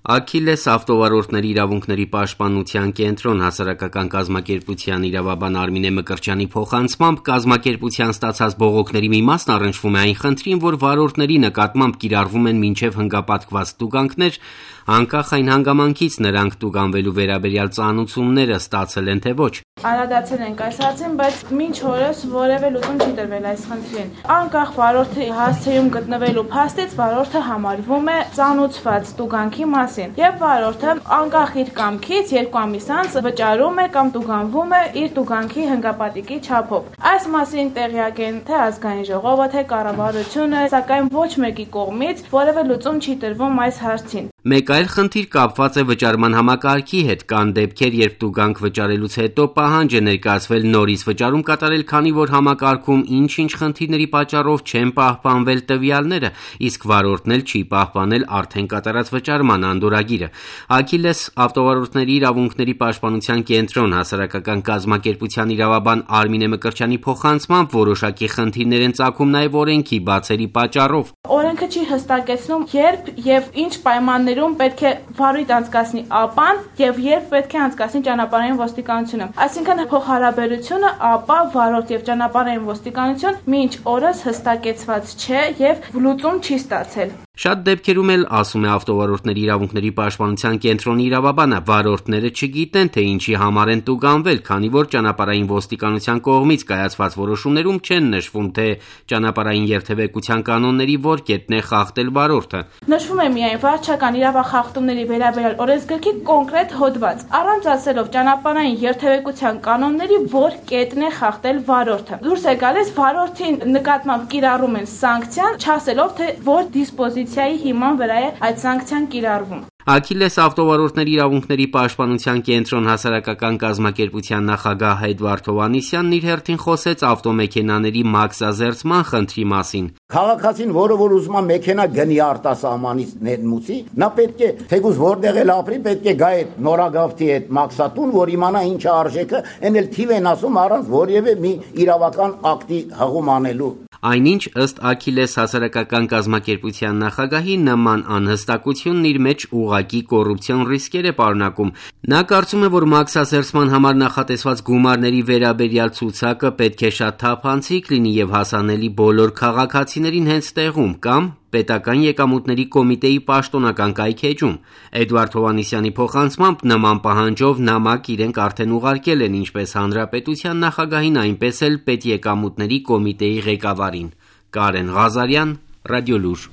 Աքիլես ավտովարորդների իրավունքների պաշտպանության կենտրոն հասարակական կազմակերպության իրավաբան Արմինե Մկրտչյանի փոխանցմամբ կազմակերպության ստացած բողոքների մի մասն առնչվում է այն խնդրին, որ վարորդների նկատմամբ կիրառվում են մինչև հնգապատկված տուգանքներ, անկախ այն հանգամանքից նրանք տուգանվելու վերաբերյալ ծանուցումները ստացել են թե ոչ։ Անդրադարձել ենք այս հարցին, բայց մինչ օրս որևէ լուծում չի տրվել այս խնդրին։ Անկախ վարորդի հասցեում գտնվելու փաստից վարորդը համարվում է ծանուցված տուգանքի մասին, եւ վարորդը անկախ իր կամքից 2 ամիս անց վճարում է կամ տուգանվում է իր տուգանքի հնգապատիկի չափով։ Այս մասին տեղյակ են թե ազգային ժողովը, թե կառավարությունը, սակայն ոչ մեկի կողմից որևէ լուծում չի տրվում այս հարցին։ Մեկ այլ խնդիր կապված է վճարման համակարգի հետ։ Կան դեպքեր, երբ տուգանք վճարելուց հետո պահանջ է ներկայացվել նորից վճարում կատարել, քանի որ համակարգում ինչ-ինչ խնդիրների պատճառով չեն պահպանվել տվյալները, իսկ վարորդն էլ չի պահպանել արդեն կատարած վճարման անդորրագիրը։ Աքիլես ավտովարորդների իրավունքների պաշտպանության կենտրոն հասարակական կազմակերպության իրավաբան Արմինե Մկրտչյանի փոխանցմամբ որոշակի խնդիրներ են ծագում նաև օրենքի բացերի պատճառով։ Օրենքը չի հստակեցնում, երբ եւ ինչ պայմաններում պետք է վարույթ անցկացնի ԱՊԱ-ն եւ երբ պետք է անցկացնի ճանապարհային ոստիկանությունը։ Այսինքն փոխհարաբերությունը ԱՊԱ, վարորդ եւ ճանապարհային ոստիկանություն մինչ օրս հստակեցված չէ եւ լուծում չի ստացել։ Շատ դեպքերում էլ, ասում է ավտովարորդների իրավունքների պաշտպանության կենտրոնի իրավաբանը, վարորդները չգիտեն, թե ինչի համար են տուգանվել, քանի որ ճանապարհային ոստիկանության կողմից կայացված որոշումներում չեն նշվում, թե ճանապարհային երթևեկության կանոնների որ կետն է խախտել վարորդը։ Նշվում է միայն վարչական իրավախախտումների վերաբերյալ օրենսգրքի կոնկրետ հոդված, առանց ասելով ճանապարհային երթևեկության կանոնների որ կետն է խախտել վարորդը։ Դուրս է գալիս վարորդին նկատմամբ կիրառում են սանկցիան, չասելով թե որ դիսպոզիցիայի հիման վրա է այդ սանկցիան կիրառվում։ Աքիլես ավտովարորդների իրավունքների պաշտպանության կենտրոն հասարակական կազմակերպության նախագահ Էդվարդ Հովհաննիսյանն իր հերթին խոսեց ավտոմեքենաների մաքսազերծման խնդրի մասին։ Քաղաքացին, որը որ ուզում է մեքենա գնի արտասահմանից ներմուծի, նա պետք է թեկուզ որտեղ էլ ապրի, պետք է գա այդ նորագավթի այդ մաքսատուն, որ իմանա ինչ է արժեքը, այն էլ թիվ են ասում առանց որևէ մի իրավական ակտի հղում անելու։ Այնինչ ըստ Աքիլես հասարակական կազմակերպության նախագահի նման անհստակությունն իր մեջ ուղղակի կոռուպցիոն ռիսկեր է պարունակում։ Նա կարծում է, որ մաքսազերծման համար նախատեսված գումարների վերաբերյալ ցուցակը պետք է շատ թափանցիկ լինի եւ հասանելի բոլոր քաղաքացիներին հենց տեղում կամ պետական եկամուտների կոմիտեի պաշտոնական կայքէջում։ Էդվարդ Հովհաննիսյանի փոխանցմամբ նման պահանջով նամակ իրենք արդեն ուղարկել են ինչպես հանրապետության նախագահին, այնպես էլ պետեկամուտների կոմիտեի ղեկավարին։ Կարեն Ղազարյան, Ռադիոլուր։